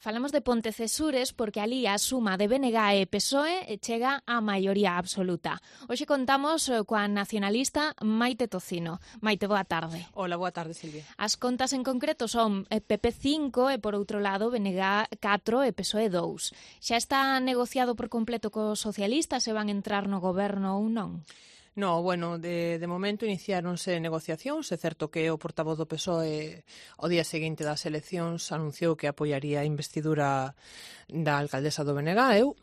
Falamos de Pontecesures porque ali a suma de BNG e PSOE chega á maioría absoluta. Hoxe contamos coa nacionalista Maite Tocino. Maite, boa tarde. Hola, boa tarde, Silvia. As contas en concreto son PP 5 e, por outro lado, BNG 4 e PSOE 2. Xa está negociado por completo cos socialistas se van entrar no goberno ou non? No, bueno, de momento iniciáronse negociacións. É certo que o portavoz do PSOE o día seguinte das eleccións anunciou que apoiaría a investidura da alcaldesa do Benegáeu.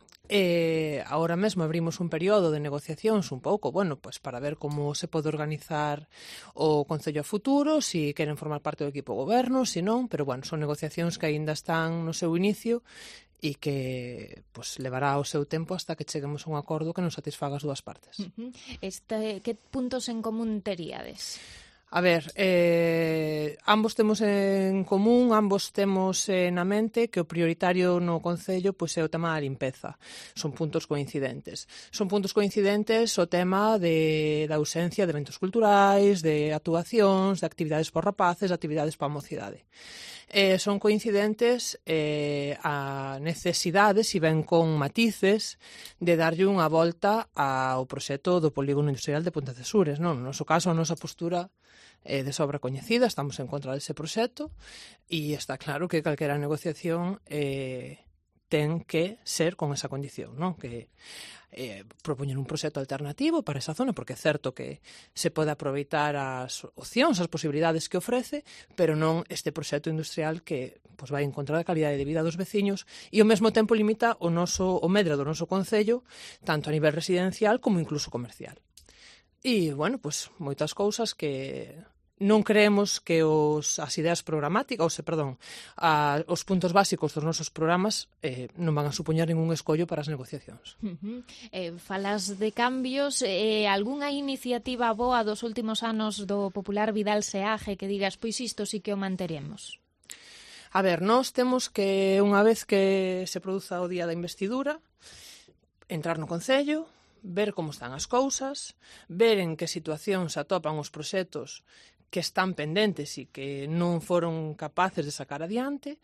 Agora mesmo abrimos un período de negociacións un pouco, bueno, pues para ver como se pode organizar o Concello a futuro, se queren formar parte do equipo goberno, se non, pero bueno, son negociacións que aínda están no seu inicio e que pues, levará o seu tempo hasta que cheguemos a un acordo que nos satisfaga as dúas partes. Que puntos en común teríades? A ver, ambos temos en común, ambos temos na mente que o prioritario no Concello pois, é o tema da limpeza. Son puntos coincidentes. Son puntos coincidentes o tema da ausencia de eventos culturais, de actuacións, de actividades por rapaces, de actividades para a mocidade. Son coincidentes a necesidades, e ben con matices, de darlle unha volta ao proxecto do polígono industrial de Pontecesures. Non? No noso caso, a nosa postura de sobra coñecida, estamos en contra dese proxecto e está claro que calquera negociación ten que ser con esa condición, non? Que propoñer un proxecto alternativo para esa zona, porque é certo que se pode aproveitar as opcións, as posibilidades que ofrece, pero non este proxecto industrial que pues, vai en contra da calidade de vida dos veciños e ao mesmo tempo limita o medra do noso concello, tanto a nivel residencial como incluso comercial. E, bueno, pues, moitas cousas que non creemos que as ideas programáticas, os puntos básicos dos nosos programas non van a supoñer ningún escollo para as negociacións. Falas de cambios, algunha iniciativa boa dos últimos anos do popular Vidal Seaje que digas, pois isto sí que o manteremos? A ver, nós temos que, unha vez que se produza o día da investidura, entrar no Concello, ver como están as cousas, ver en que situación se atopan os proxectos que están pendentes e que non foron capaces de sacar adiante,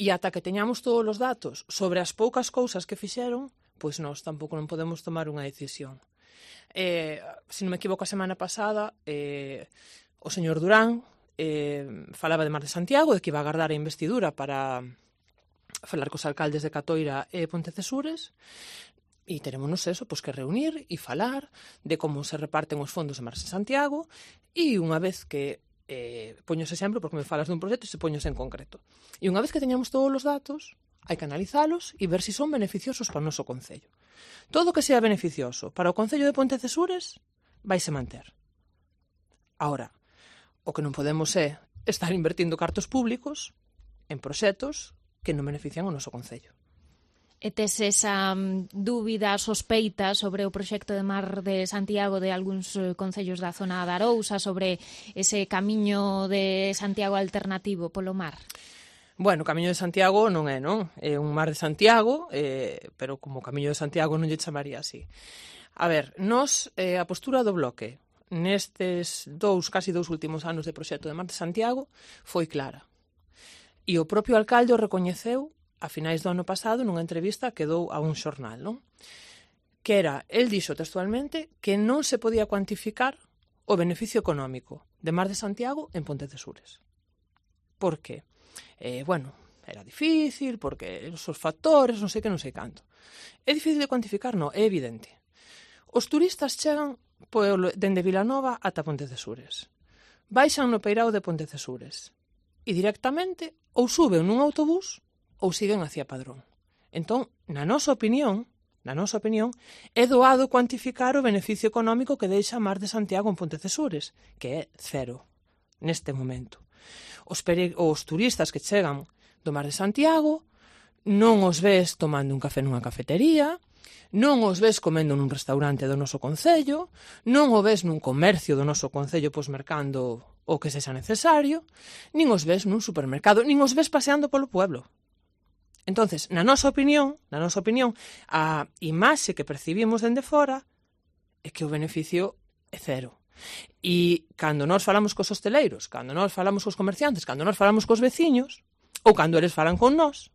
e ata que teñamos todos os datos sobre as poucas cousas que fixeron, pois nós tampouco non podemos tomar unha decisión. Se non me equivoco, a semana pasada, o señor Durán falaba de Mar de Santiago, de que iba a agardar a investidura para falar cos alcaldes de Catoira e Pontecesures, e terémonos eso, pois que reunir e falar de como se reparten os fondos de Mar de Santiago e unha vez que poño ese exemplo porque me falas dun proxecto e se poños en concreto. E unha vez que teñamos todos os datos, hai que analizalos e ver se son beneficiosos para o noso concello. Todo o que sea beneficioso para o concello de Pontecesures vaise manter. Ahora, o que non podemos é estar invertindo cartos públicos en proxectos que non benefician o noso concello. E tes esa dúbida, sospeita sobre o proxecto de Mar de Santiago de algúns concellos da zona da Arousa, sobre ese camiño de Santiago alternativo polo mar? Bueno, o Camiño de Santiago non é, non? É un Mar de Santiago, pero como Camiño de Santiago non lle chamaría así. A ver, nós, a postura do bloque nestes casi dous últimos anos de proxecto de Mar de Santiago foi clara. E o propio alcalde o recoñeceu a finais do ano pasado nunha entrevista que dou a un xornal, non? Que era, el dixo textualmente que non se podía cuantificar o beneficio económico de Mar de Santiago en Pontecesures. Por qué? Bueno, era difícil, porque os factores, non sei que, non sei canto. É difícil de cuantificar? Non, é evidente. Os turistas chegan dende Vilanova ata Pontecesures. Baixan no peirao de Pontecesures e directamente ou suben nun autobús ou siguen hacia Padrón. Entón, na nosa opinión, é doado cuantificar o beneficio económico que deixa Mar de Santiago en Pontecesures, que é cero, neste momento. Os turistas que chegan do Mar de Santiago non os ves tomando un café nunha cafetería, non os ves comendo nun restaurante do noso concello, non o ves nun comercio do noso concello pois mercando o que sexa necesario, nin os ves nun supermercado, nin os ves paseando polo pueblo. Entonces, na nosa opinión, a imaxe que percibimos dende fora é que o beneficio é cero. E cando nós falamos cos hosteleiros, cando nós falamos cos comerciantes, cando nós falamos cos veciños, ou cando eles falan con nós,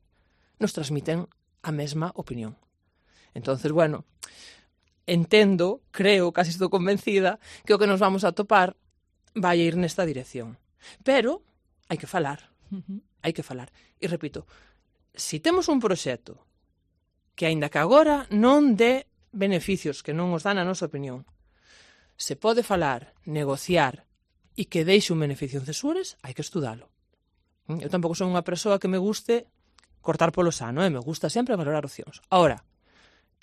nos transmiten a mesma opinión. Entonces, bueno, entendo, creo, casi estou convencida, que o que nos vamos a topar vai ir nesta dirección. Pero hai que falar. Hai que falar. E repito, se temos un proxecto que, aínda que agora non dé beneficios, que non os dan a nosa opinión, se pode falar, negociar e que deixe un beneficio en Cesures, hai que estudalo. Eu tampouco son unha persoa que me guste cortar polo sano, me gusta sempre valorar opcións. Ahora,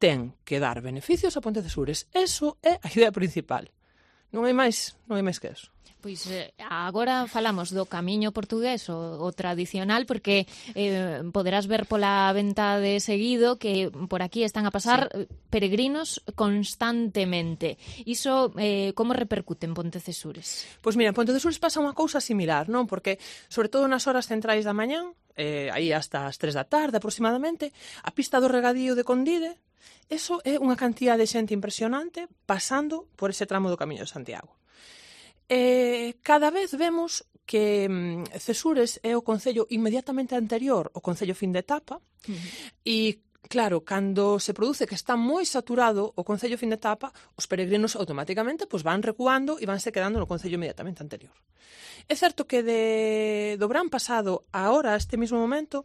ten que dar beneficios a Ponte Cesures. Eso é a idea principal. Non hai máis que eso. Pois agora falamos do camiño portugués, o tradicional, porque poderás ver pola venta de seguido que por aquí están a pasar peregrinos constantemente. Iso como repercute en Ponte Cesures? Pois mira, en Ponte Cesures pasa unha cousa similar, non? Porque, sobre todo nas horas centrais da mañán, aí hasta as 3 da tarde aproximadamente, a pista do regadío de Condide, eso é unha cantidad de xente impresionante pasando por ese tramo do Camiño de Santiago. Cada vez vemos que Cesures é o concello inmediatamente anterior ao concello fin de etapa e, claro, cando se produce que está moi saturado o concello fin de etapa, os peregrinos automáticamente van recuando e vanse quedando no concello inmediatamente anterior. É certo que do verán pasado a ahora, a este mesmo momento,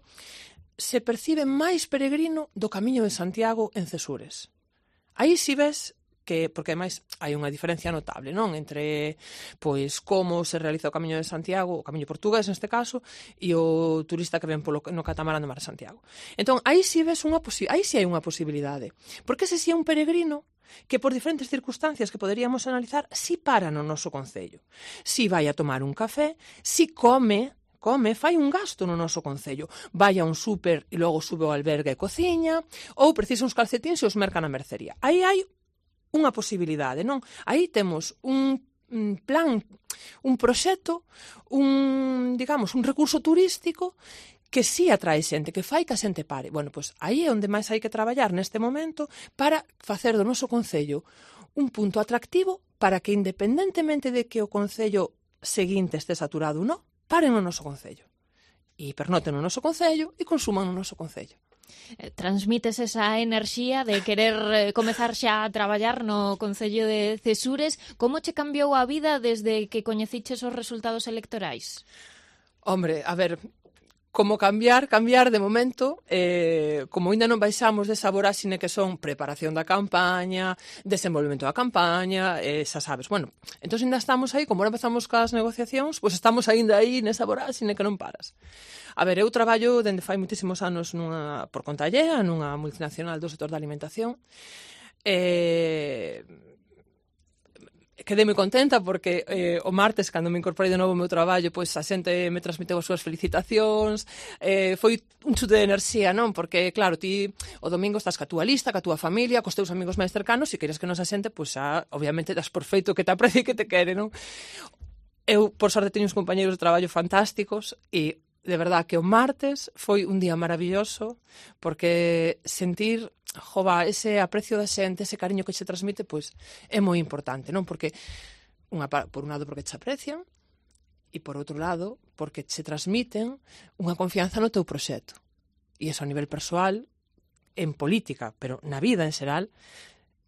se percibe máis peregrino do Camiño de Santiago en Cesures. Aí si ves que, porque ademais hai unha diferencia notable, non? Entre como se realiza o Camiño de Santiago, o Camiño portugués neste caso, e o turista que ven no catamarán do Mar de Santiago. Entón, aí si ves aí si hai unha posibilidade. Porque ese si é un peregrino que por diferentes circunstancias que poderíamos analizar, si para no noso concello. Si vai a tomar un café, si come, fai un gasto no noso concello. Vai a un súper e logo sube ao albergue e cociña, ou precisa uns calcetíns e os merca na mercería. Aí hai unha posibilidade, non? Aí temos un plan, un proxecto, un recurso turístico que sí atrae xente, que fai que a xente pare. Bueno, pois aí é onde máis hai que traballar neste momento para facer do noso concello un punto atractivo para que, independentemente de que o concello seguinte este saturado ou non, paren no noso concello. E pernoten no noso concello e consuman no noso concello. Transmites esa enerxía de querer comezar xa a traballar no Concello de Cesures. Como che cambiou a vida desde que coñeciches os resultados electorais? Hombre, a ver, como cambiar de momento, como ainda non baixamos desa voráxine que son preparación da campaña, desenvolvemento da campaña, xa sabes, bueno, entón ainda estamos aí, como ahora empezamos cas negociacións, pois estamos ainda aí nesa voráxine que non paras. A ver, eu traballo dende fai moitísimos anos por conta allea, nunha multinacional do sector da alimentación. Quedei moi contenta porque o martes, cando me incorporei de novo ao meu traballo, pois a xente me transmiteu as súas felicitacións, foi un chute de enerxía, non? Porque, claro, ti o domingo estás ca túa lista, ca túa familia, cos teus amigos máis cercanos, e queres que nos a xente, pois xa, obviamente, das por feito que te aprecia e que te quere, non? Eu, por sorte, teño uns compañeiros de traballo fantásticos e, de verdad, que o martes foi un día maravilloso porque sentir ese aprecio da xente, ese cariño que se transmite, pois é moi importante, non? Porque, por un lado, porque te aprecian e, por outro lado, porque se transmiten unha confianza no teu proxecto. E iso a nivel persoal, en política, pero na vida en xeral,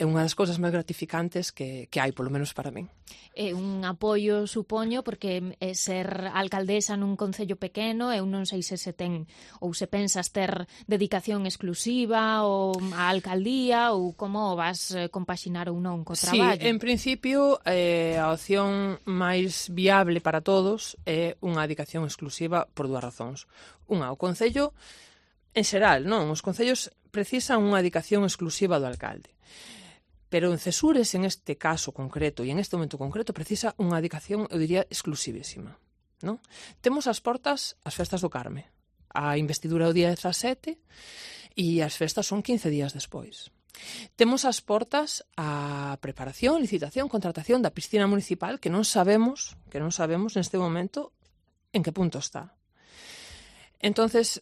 é unha das cousas máis gratificantes que hai, polo menos para min. É un apoio, supoño, porque ser alcaldesa nun concello pequeno, eu non sei se ten ou se pensas ter dedicación exclusiva ou a alcaldía ou como vas compaxinar ou non co traballo. Sí, en principio a opción máis viable para todos é unha dedicación exclusiva por dúas razóns. Unha, o concello en xeral, non? Os concellos precisan unha dedicación exclusiva do alcalde. Pero en Cesures, en este caso concreto e en este momento concreto, precisa unha dedicación, eu diría, exclusivísima. Non? Temos as portas as festas do Carme. A investidura o día 17 e as festas son 15 días despois. Temos as portas a preparación, licitación, contratación da piscina municipal que non sabemos neste momento en que punto está. Entonces,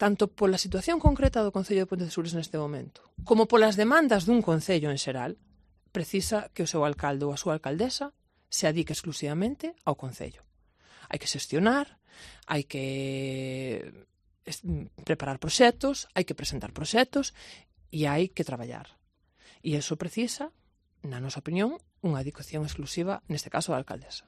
tanto pola situación concreta do Concello de Ponte Cesures neste momento, como polas demandas dun concello en xeral, precisa que o seu alcalde ou a súa alcaldesa se adique exclusivamente ao concello. Hai que xestionar, hai que preparar proxectos, hai que presentar proxectos e hai que traballar. E iso precisa, na nosa opinión, unha dedicación exclusiva, neste caso, a alcaldesa.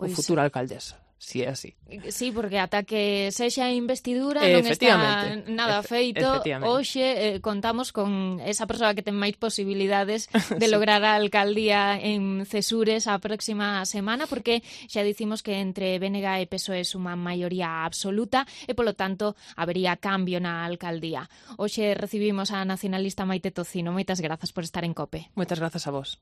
Ou futura alcaldesa, si é así. Sí, porque ata que sexa investidura non está nada feito. Hoxe contamos con esa persoa que ten máis posibilidades de lograr a alcaldía en Cesures a próxima semana, porque xa dicimos que entre BNG e PSOE suman maioría absoluta e, polo tanto, habería cambio na alcaldía. Hoxe recibimos a nacionalista Maite Tocino. Moitas grazas por estar en COPE. Moitas grazas a vos.